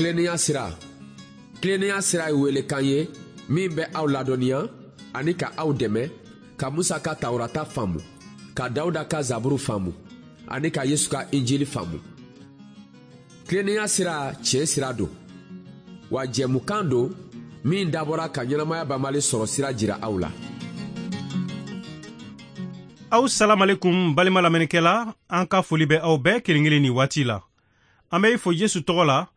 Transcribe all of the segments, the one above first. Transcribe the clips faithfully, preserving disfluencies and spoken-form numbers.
Tilennenya sira. Tilennenya sira ye welekan ye min bɛ aw ladɔnniya ani ka aw dɛmɛ ka Musa ka Tawurata faamu, ka Dawuda ka Zaburu faamu ani ka Yesu ka Injili faamu. Tilennenya sira tiɲɛ sira don, wa jɛmukan don min dabɔra ka ɲɛnamaya banbali sɔrɔ sira jira aw la. Aw salamalekum balima lamɛnnikɛla, an ka foli bɛ aw bɛɛ kelen kelen nin waati la. An bɛ i fo Yesu tɔgɔ la,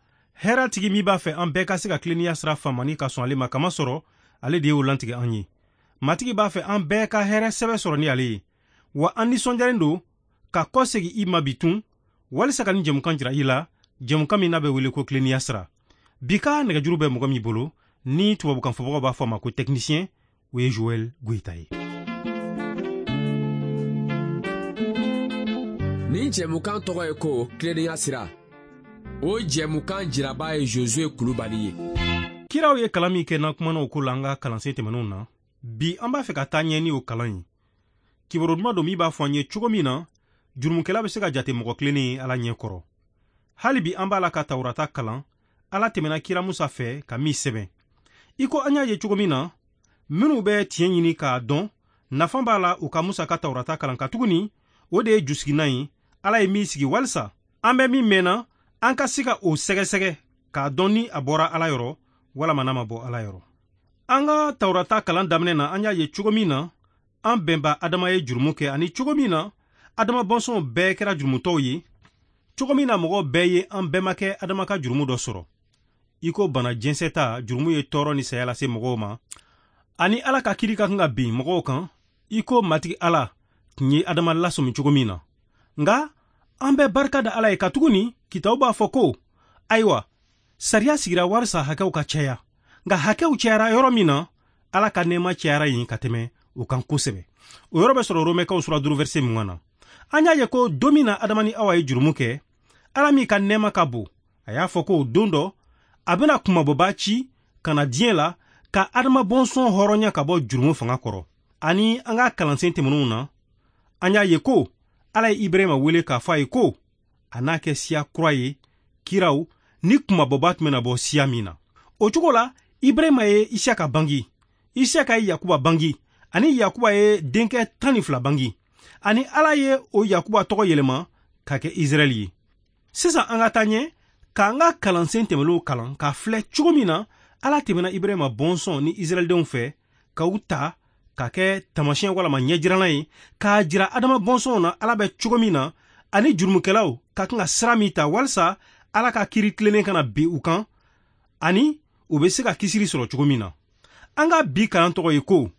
hɛrɛ tigi min b'a fɛ an bɛɛ ka se ka tilennenya sira faamu ka sɔn ale ma, kamasɔrɔ ale de y'o lantigɛ an ye. Matigi b'a fɛ an bɛɛ ka hɛrɛ sɛbɛ sɔrɔ ni ale ye, wa an nisɔndiyalen don ka kɔsegin i ma bi tun walisa ka nin jɛmukan jira i la, jɛmukan min n'a bɛ wele ko tilennenya sira. Bi ka nɛgɛjuru bɛ mɔgɔ min bolo ni tubabukan fɔbagaw b'a fɔ a ma ko technicien, o ye Joël Goïta ye. Nin jɛmukan tɔgɔ ye ko tilennenya sira. O jɛmukan jiraba ye Josué Kulubali ye. Kiraw ye kalan min kɛ n'an kumana o ko la an ka kalansen tɛmɛnenw na, bi an b'a fɛ ka taa ɲɛ ni o kalan ye. Kibaru duman don min b'a fɔ an ye cogo min na jurumukɛla bɛ se ka jate mɔgɔ tilennen ye Ala ɲɛ kɔrɔ. Hali bi an b'a la ka Tawurata kalan, Ala tɛmɛna kira Musa fɛ ka min sɛbɛn. I ko an y'a ye cogo min na, minnu bɛ tiɲɛ ɲini k'a dɔn, nafa b'a la u ka Musa ka Tawurata kalan, katuguni o de ye jusiginan ye Ala ye min sigi walisa an bɛ min mɛnna an ka se ka o sɛgɛsɛgɛ k'a dɔn ni a bɔra Ala yɔrɔ walama n'a ma bɔ Ala yɔrɔ. An ka Tawurata kalan daminɛ na, an y'a ye cogo min na an bɛnba Adama ye jurumu kɛ, ani cogo min na Adama bɔnsɔnw bɛɛ kɛra jurumutɔw ye, cogo min na mɔgɔ bɛɛ ye an bɛnbakɛ Adama ka jurumu dɔ sɔrɔ. I ko bana jɛnsɛ ta jurumu ye tɔɔrɔ ni saya lase mɔgɔw ma, ani Ala ka kiri ka kan ka bin mɔgɔw kan, i ko Matigi Ala tun ye Adama lasɔmi cogo min na. Nka an bɛ barika da Ala ye, katuguni kitabu b'a fɔ ko ayiwa sariya sigira walisa hakɛw ka caya, nka hakɛw cayara yɔrɔ min na, Ala ka nɛɛma cayara yen ka tɛmɛ o kan kosɛbɛ. O yɔrɔ bɛ sɔrɔ Romɛkaw sura duuru verset mugan na. An y'a ye ko don min na Adama ni Awa ye jurumu kɛ, Ala min ka nɛɛma ka bon, a y'a fɔ ko don dɔ a bɛna kunmabɔba ci ka na diɲɛ la ka Adama bɔnsɔn hɔrɔnya ka bɔ jurumu fanga kɔrɔ. Ani an ka kalansen tɛmɛnenw na, an y'a ye ko Ala ye Ibrahima wele k'a fɔ a ye ko a n'a kɛ siya kura ye, kiraw ni kunmabɔba tun bɛna bɔ siya min na. O cogo la, Ibrahima ye Isaka bangi, Isaka ye Yakuba bangi, ani Yakuba ye denkɛ tan ni fila bangi, ani Ala ye o Yakuba tɔgɔ yɛlɛma ka kɛ Israɛl ye. Sisan an ka taa ɲɛ k'an ka kalansen tɛmɛnenw kalan k'a filɛ cogo min na Ala tɛmɛna Ibrahima bɔnsɔn ni Israɛldenw fɛ k'u ta ka kɛ taamasiyɛn walama ɲɛjiranna ye, k'a jira Adama bɔnsɔnw na Ala bɛ cogo min na, ani jurumukɛlaw ka kan ka sira min ta walisa Ala ka kiri tilennen kana bin u kan, ani u bɛ se ka kisili sɔrɔ cogo min na. An ka bi kalan tɔgɔ ye ko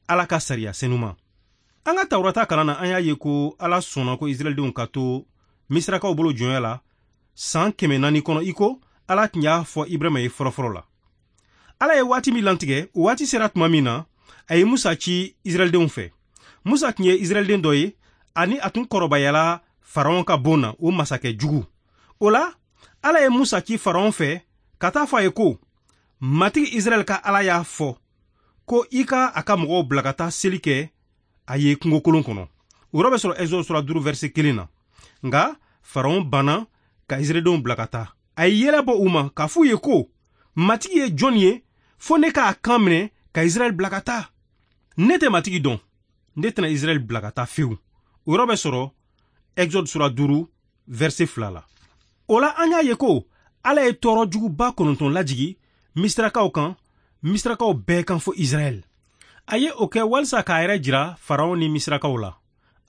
Ala ka sariya senuma. An ka Tawurata kalan na, an y'a ye ko Ala sɔnna ko Israɛldenw ka to Misirakaw bolo jɔnya la san kɛmɛ naani kɔnɔ, i ko Ala tun y'a fɔ Ibrahima ye fɔlɔfɔlɔ la. Ala ye waati min lantigɛ, o waati sera tuma min na, a ye Musa ci Israɛldenw fɛ. Musa tun ye Israɛlden dɔ ye, ani a tun kɔrɔbayala Faraon ka bon na, o masakɛ jugu. O la, Ala ye Musa ci Faraon fɛ ka taa fɔ a ye ko Matigi Israɛl ka Ala y'a fɔ ko i ka a ka mɔgɔw bila ka taa seli kɛ a ye kungokolon kɔnɔ. O yɔrɔ bɛ sɔrɔ Exode sura duuru verset kelen na. Nka Faraon banna ka Israɛldenw bila ka taa. A ye yɛlɛ bɔ u ma k'a f'u ye ko Matigi ye jɔn ye fo ne k'a kan minɛ ka Israɛl bila ka taa? Ne tɛ Matigi dɔn, ne tɛna Israɛl bila ka taa fewu. O yɔrɔ bɛ sɔrɔ Exode sura duuru verset fila la. O la, an y'a ye ko Ala ye tɔɔrɔ juguba kɔnɔntɔn lajigi Misirakaw kan, Misirakaw bɛɛ kan fo Israɛl. A ye o kɛ walisa k'a yɛrɛ jira Faraon ni Misirakaw la.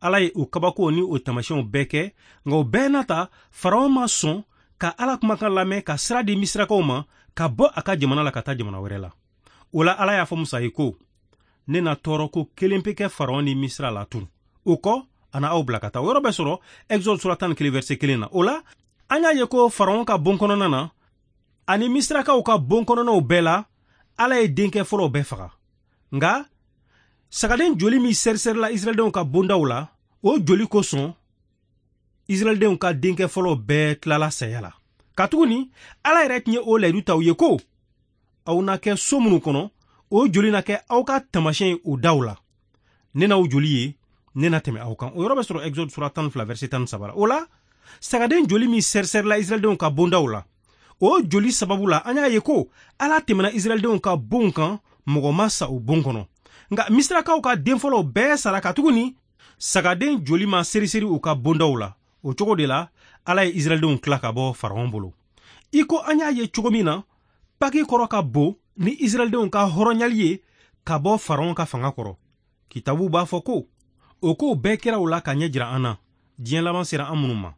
Ala ye o kabakow ni o taamasiyɛnw bɛɛ kɛ, nka o bɛɛ n'a ta, Faraon ma sɔn ka Ala kumakan lamɛn ka sira di Misirakaw ma ka bɔ a ka jamana la ka taa jamana wɛrɛ la. O la, Ala y'a fɔ Musa ye ko ne na tɔɔrɔ ko kelen pe kɛ Faraon ni Misira la tun. O kɔ, a na aw bila ka taa. O yɔrɔ bɛ sɔrɔ Exode sura tan ni kelen verset kelen na. O la, an y'a ye ko Faraon ka bon kɔnɔna na ani Misirakaw ka bon kɔnɔnaw bɛɛ la, Ala ye denkɛ fɔlɔw bɛɛ faga. Nka sagaden joli min sɛrisɛrila Israɛldenw ka bondaw la, o joli kosɔn Israɛldenw ka denkɛ fɔlɔw bɛɛ tilala saya la. Katuguni Ala yɛrɛ tun ye o layidu ta u ye ko aw na kɛ so minnu kɔnɔ, o joli na kɛ aw ka taamasiyɛn ye o daw la. Ne n'aw joli ye, ne na tɛmɛ aw kan. O yɔrɔ bɛ sɔrɔ Exode sura tan ni fila verset tan ni saba la. O la, sagaden joli min sɛrisɛrila Israɛldenw ka bondaw la, O joli sababu la, an y'a ye ko Ala tɛmɛna Israɛldenw ka bonw kan, mɔgɔ ma sa o bon kɔnɔ. Nka Misirakaw ka den fɔlɔw bɛɛ sara katuguni sagaden joli ma seriseri u ka bondaw la. O cogo de la, Ala ye Israɛldenw tila ka bɔ Faraon bolo. I ko an y'a ye cogo min na, Paki kɔrɔ ka bon ni Israɛldenw ka hɔrɔnyali ye ka bɔ Faraon ka fanga kɔrɔ. Kitabu b'a fɔ ko o kow bɛɛ kɛra u la ka ɲɛ jira an na, diɲɛ laban sera an minnu ma.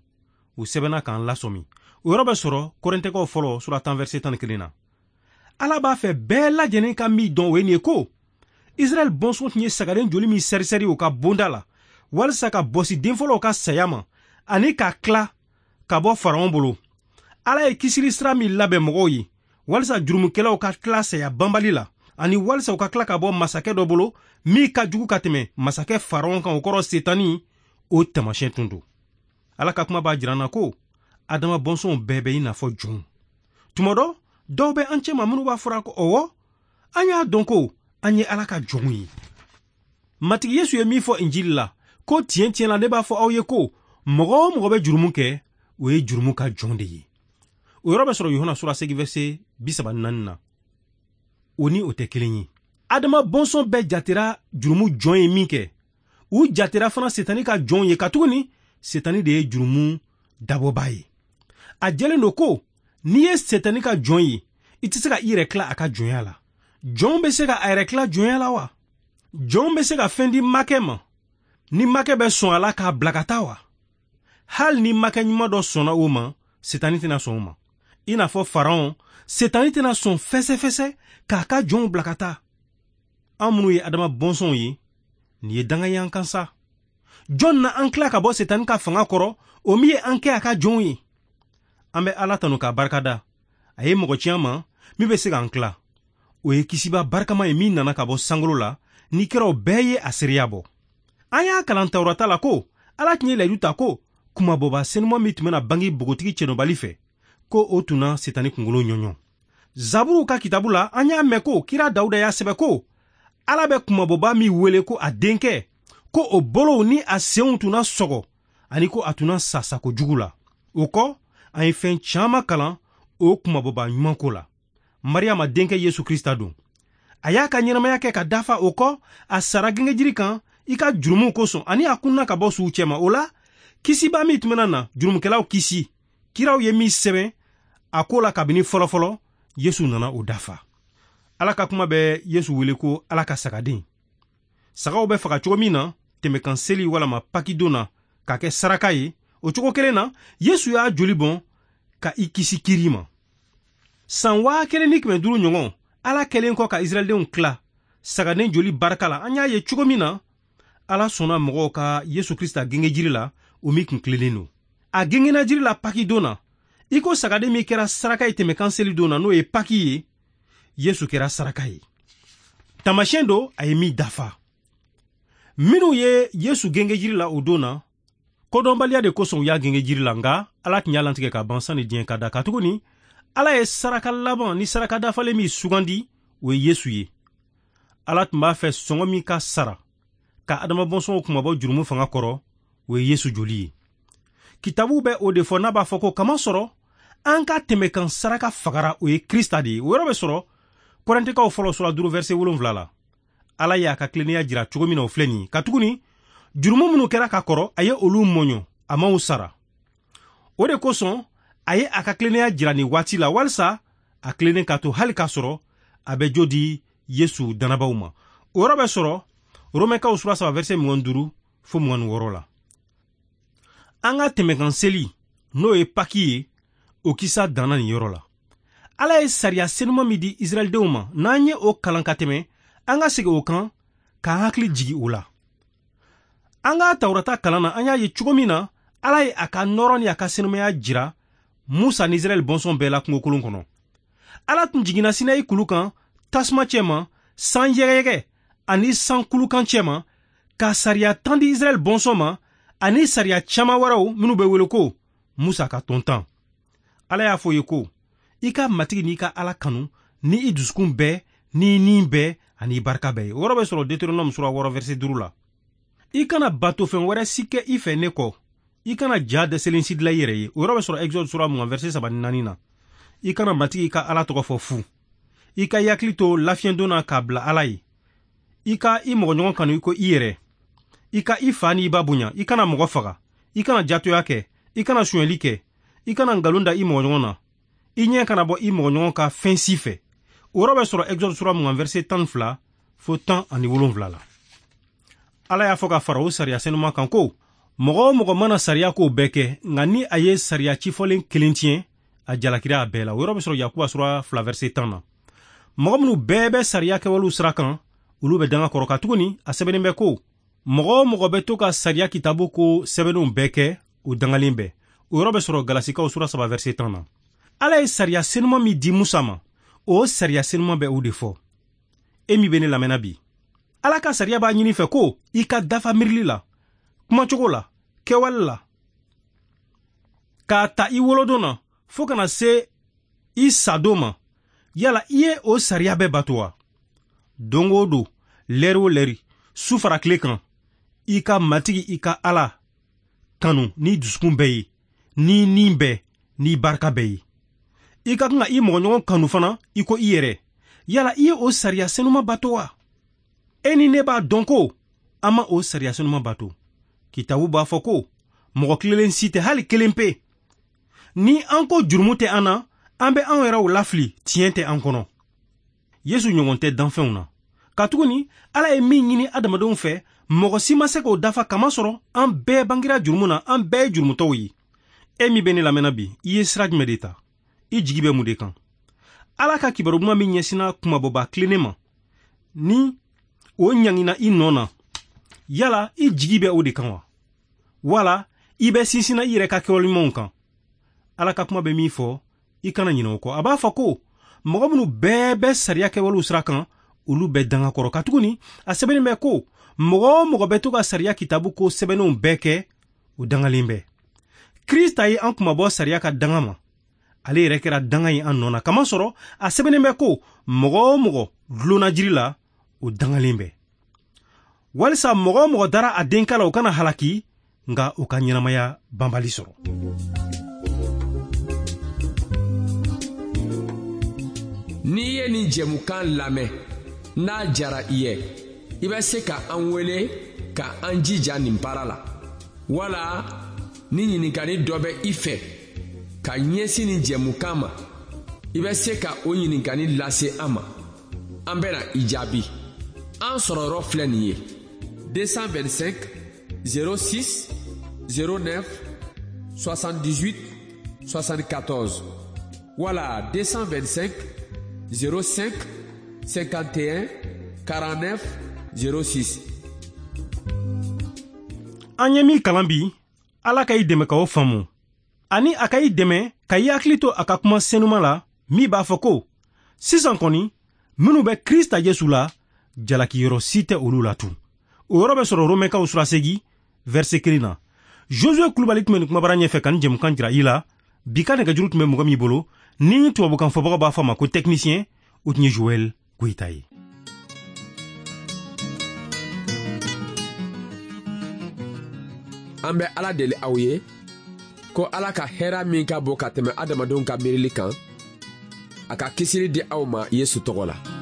U sɛbɛnna k'an lasɔmi. O yɔrɔ bɛ sɔrɔ Kɔrɛntɛkaw fɔlɔ sura tan verset tan ni kelen na. Ala b'a fɛ bɛɛ lajɛlen ka min dɔn, o ye nin ye ko Israɛl bɔnsɔn tun ye sagaden joli min sɛrisɛri u ka bonda la walisa ka bɔsi den fɔlɔw ka saya ma ani ka tila ka bɔ Faraon bolo. Ala ye kisili sira min labɛn mɔgɔw ye walisa jurumukɛlaw ka tila saya banbali la ani walisa u ka tila ka bɔ masakɛ dɔ bolo min ka jugu ka tɛmɛ masakɛ Faraon kan, o kɔrɔ Setani, o taamasiyɛn tun don. Ala ka kuma b'a jira an na ko Adama bɔnsɔnw bɛɛ bɛ i n'a fɔ jɔnw. Tuma dɔ, dɔw bɛ an cɛma minnu b'a fɔra ko ɔwɔ, an y'a dɔn ko an ye Ala ka jɔnw ye. Matigi Yesu ye min fɔ Injili la, ko tiɲɛ tiɲɛ la ne b'a fɔ aw ye ko mɔgɔ o mɔgɔ bɛ jurumu kɛ, o ye jurumu ka jɔn de ye. O yɔrɔ bɛ sɔrɔ Yohana sura seegin verset bi saba ni naani na. O ni o tɛ kelen ye. Adama bɔnsɔn bɛɛ jatera jurumu jɔn ye min kɛ, u jatera fana Setani ka jɔnw ye, katuguni Setani de ye jurumu dabɔba ye. A jɛlen don ko n'i ye Setani ka jɔn ye, i tɛ se ka i yɛrɛ tila a ka jɔnya la. Jɔn bɛ se ka a yɛrɛ tila jɔnya la wa? Jɔn bɛ se ka fɛn di makɛ ma ni makɛ bɛ sɔn a la k'a bila ka taa wa? Hali ni makɛ ɲuman dɔ sɔnna o ma, Setani tɛna sɔn o ma. I n'a fɔ Faraon, Setani tɛna sɔn fɛsɛfɛsɛ k'a ka jɔnw bila ka taa. An minnu ye Adama bɔnsɔnw ye, nin ye danga ye an kan sa. Jɔn na an tila ka bɔ Setani ka fanga kɔrɔ, o min ye an kɛ a ka jɔnw ye? An bɛ Ala tanu k'a barikada. A ye mɔgɔ ci an ma min bɛ se k'an tila. O ye kisiba barikama ye min nana ka bɔ sankolo la, ni kiraw bɛɛ ye a seereya bɔ. An y'a kalan Tawurata la ko Ala tun ye layidu ta ko kumabɔba senuman min tun bɛna bange npogotigi cɛnɔbali fɛ, ko o tun na Setani kunkolo ɲɔɲɔ. Zaburuw ka kitabu la, an y'a mɛn ko kira Dawuda y'a sɛbɛn ko Ala bɛ kumabɔba min wele ko a denkɛ, ko o bolow ni a senw tun na sɔgɔ ani ko a tun na sa sako jugu la. O kɔ, an ye fɛn caman kalan o kumabɔba ɲuman ko la. Mariyama denkɛ Yesu Krista don. A y'a ka ɲɛnamaya kɛ ka dafa, o kɔ a sara gengejiri kan i ka jurumuw kosɔn ani a kunna ka bɔ suw cɛma. O la, kisiba min tun bɛna na jurumukɛlaw kisi, kiraw ye min sɛbɛn a ko la kabini fɔlɔfɔlɔ, Yesu nana o dafa. Ala ka kuma bɛ Yesu wele ko Ala ka sagaden. Sagaw bɛ faga cogo min na tɛmɛkan seli walama pakidon na k'a kɛ saraka ye, o cogo kelen na Yesu y'a joli bɔn ka i kisi kiri ma. San waa kelen ni kɛmɛ duuru ɲɔgɔn, Ala kɛlen kɔ ka Israɛldenw tila sagaden joli barika la, an y'a ye cogo min na Ala sɔnna mɔgɔw ka Yesu Krista genge jiri la, o min kun tilennen don. A gengena jiri la pakidon na, i ko sagaden min kɛra saraka ye tɛmɛkan seli don na, n'o ye paki ye, Yesu kɛra saraka ye. Taamasiyɛn don a ye min dafa. Minnu ye Yesu genge jiri la o don na, kodɔnbaliya de kosɔn u y'a genge jiri la, nka Ala tun y'a lantigɛ ka ban sanni diɲɛ ka da, katuguni Ala ye saraka laban ni saraka dafalen min sugandi, o ye Yesu ye. Ala tun b'a fɛ sɔngɔ min ka sara ka Adama bɔnsɔnw kunmabɔ jurumu fanga kɔrɔ, o ye Yesu joli ye. Kitabu bɛ o de fɔ n'a b'a fɔ ko kamasɔrɔ an ka tɛmɛkan saraka fagara, o ye Krista de ye. O yɔrɔ bɛ sɔrɔ Kɔrɛntɛkaw fɔlɔ sura duuru verset wolonwula la. Ala y'a ka tilennenya jira cogo min na, o filɛ nin ye, katuguni jurumu minnu kɛra ka kɔrɔ, a ye olu mɔɲɔ, a m'aw sara. O de kosɔn a ye a ka tilennenya jira nin waati la, walisa a tilennen ka to hali k'a sɔrɔ a bɛ jo di Yesu dannabaw ma. O yɔrɔ bɛ sɔrɔ Romɛkaw sura saba verset mugan duuru fo mugan ni wɔɔrɔ la. An ka tɛmɛkan seli, n'o ye Paki ye, o kisa danna nin yɔrɔ la. Ala ye sariya senuman min di Israɛldenw ma, n'an ye o kalan ka tɛmɛ, an ka segin o kan k'an hakili jigi o la. An ka Tawurata kalan na, an y'a ye cogo min na Ala ye a ka nɔrɔ ni a ka senumaya jira Musa ni Israɛl bɔnsɔn bɛɛ la kungokolon kɔnɔ. Ala tun jiginna Sinayi kulu kan tasuma cɛma, san yɛgɛyɛgɛ ani san kulukan cɛma, ka sariya tan di Israɛl bɔnsɔn ma ani sariya caman wɛrɛw minnu bɛ wele ko Musa ka tɔn tan. Ala y'a fɔ ye ko i ka Matigi n'i ka Ala kanu ni i dusukun bɛɛ, ni i ni bɛɛ ani i barika bɛɛ ye. O yɔrɔ bɛ sɔrɔ Deutéronome sura wɔɔrɔ verset duuru la. I kana batofɛn wɛrɛ si kɛ i fɛ ne kɔ. I kana ja dɛsɛlen si dilan i yɛrɛ ye. O yɔrɔ bɛ sɔrɔ Exode sura mugan verset saba ni naani na. I kana Matigi ka Ala tɔgɔ fɔ fu. I ka i hakili to lafiɲɛdon na k'a bila Ala ye. I ka i mɔgɔɲɔgɔn kanu i ko i yɛrɛ. I ka i fa ni i ba bonya. I kana mɔgɔ faga. I kana jatoya kɛ. I kana sonyɛli kɛ. I kana nkalon da i mɔgɔɲɔgɔn na. I ɲɛ kana bɔ i mɔgɔɲɔgɔn ka fɛn si fɛ. O yɔrɔ bɛ sɔrɔ Exode sura mugan verset tan ni fila fo tan ani wolonwula la. Ala y'a fɔ ka fara o sariya senuma kan ko mɔgɔ o mɔgɔ mana sariya kow bɛɛ kɛ, nka ni a ye sariya cifɔlen kelen tiɲɛ, a jalakira a bɛɛ la. O yɔrɔ bɛ sɔrɔ Yakuba sura fila verset tan na. Mɔgɔ minnu bɛɛ bɛ sariya kɛwalew sira kan, olu bɛ danga kɔrɔ, katuguni a sɛbɛnnen bɛ ko mɔgɔ o mɔgɔ bɛ to ka sariya kitabu ko sɛbɛnnenw bɛɛ kɛ, o dangalen bɛ. O yɔrɔ bɛ sɔrɔ Galasikaw sura saba verset tan na. Ala ye sariya senuma min di Musa ma, o sariya senuma bɛ o de fɔ. E min bɛ ne lamɛnna bi, Ala ka sariya b'a ɲini fɛ ko i ka dafa miirili la, kumacogo la, kɛwale la, k'a ta i wolodon na fo kana se i sadon ma. Yala i ye o sariya bɛɛ bato wa? Don o don, lɛri o lɛri, su fara tile kan, i ka Matigi i ka Ala kanu n'i dusukun bɛɛ ye, n'i ni bɛɛ, n'i barika bɛɛ ye. I ka kan ka i mɔgɔɲɔgɔn kanu fana i ko i yɛrɛ. Yala i ye o sariya senuma bato wa? E ni ne b'a dɔn ko an ma o sariya senuma bato. Kitabu b'a fɔ ko mɔgɔ tilenlen si tɛ, hali kelen pe. Ni an ko jurumu tɛ an na, an bɛ an yɛrɛw lafili, tiɲɛ tɛ an kɔnɔ. Yesu ɲɔgɔn tɛ danfɛnw na. Katuguni Ala ye min ɲini adamadenw fɛ, mɔgɔ si ma se k'o dafa, kamasɔrɔ an bɛɛ bangera jurumu na, an bɛɛ ye jurumutɔw ye. E min bɛ ne lamɛnna bi, i ye sira jumɛn de ta? I jigi bɛ mun de kan? Ala ka kibaru duman min ɲɛsinna kumabɔba tilennen ma, ni o ɲangina i nɔ na, yala i jigi bɛ o de kan wa? Wala i bɛ sinsinna i yɛrɛ ka kɛwale ɲumanw kan? Ala ka kuma bɛ min fɔ, i kana ɲinɛ o kɔ. A b'a fɔ ko mɔgɔ minnu bɛɛ bɛ sariya kɛwalew sira kan, olu bɛ danga kɔrɔ, katuguni a sɛbɛnnen bɛ ko mɔgɔ o mɔgɔ bɛ to ka sariya kitabu ko sɛbɛnnenw bɛɛ kɛ, o dangalen bɛ. Krista ye an kunmabɔ sariya ka danga ma. Ale yɛrɛ kɛra danga ye an nɔ na, kamasɔrɔ a sɛbɛnnen bɛ ko mɔgɔ o mɔgɔ dulonna jiri la, o dangalen bɛ. Walisa mɔgɔ o mɔgɔ dara a denkɛ la, o kana halaki, nka o ka ɲɛnamaya banbali sɔrɔ. N'i ye nin jɛmukan lamɛn, n'a jara i ye, i bɛ se ka an wele ka an jija nin baara la. Wala ni ɲininkali dɔ bɛ i fɛ ka ɲɛsin nin jɛmukan ma, i bɛ se ka o ɲininkali lase an ma. An bɛna i jaabi. An sɔrɔyɔrɔ filɛ nin ye: deux cent vingt-cinq zéro six zéro neuf soixante-dix-huit soixante-quatorze wala deux cent vingt-cinq zéro cinq cinquante et un quarante-neuf zéro six. An ye min kalan bi, Ala ka i dɛmɛ ka o faamu, ani a ka i dɛmɛ ka i hakili to a ka kuma senuma la, min b'a fɔ ko sisan kɔni minnu bɛ Krista Yesu la, jalakiyɔrɔ si tɛ olu la tun. O yɔrɔ bɛ sɔrɔ Romɛkaw sura seegin verset kelen na. Josue Kulubali tun bɛ nin kumabara ɲɛfɛ ka nin jɛmukan jira i la. Bi ka nɛgɛjuru tun bɛ mɔgɔ min bolo, ni tubabukan fɔbagaw b'a fɔ a ma ko technicien, o tun ye Joël Goyita ye. An bɛ Ala deli aw ye ko Ala ka hɛrɛ min ka bon ka tɛmɛ adamadenw ka miirili kan, a ka kisili di aw ma Yesu tɔgɔ la.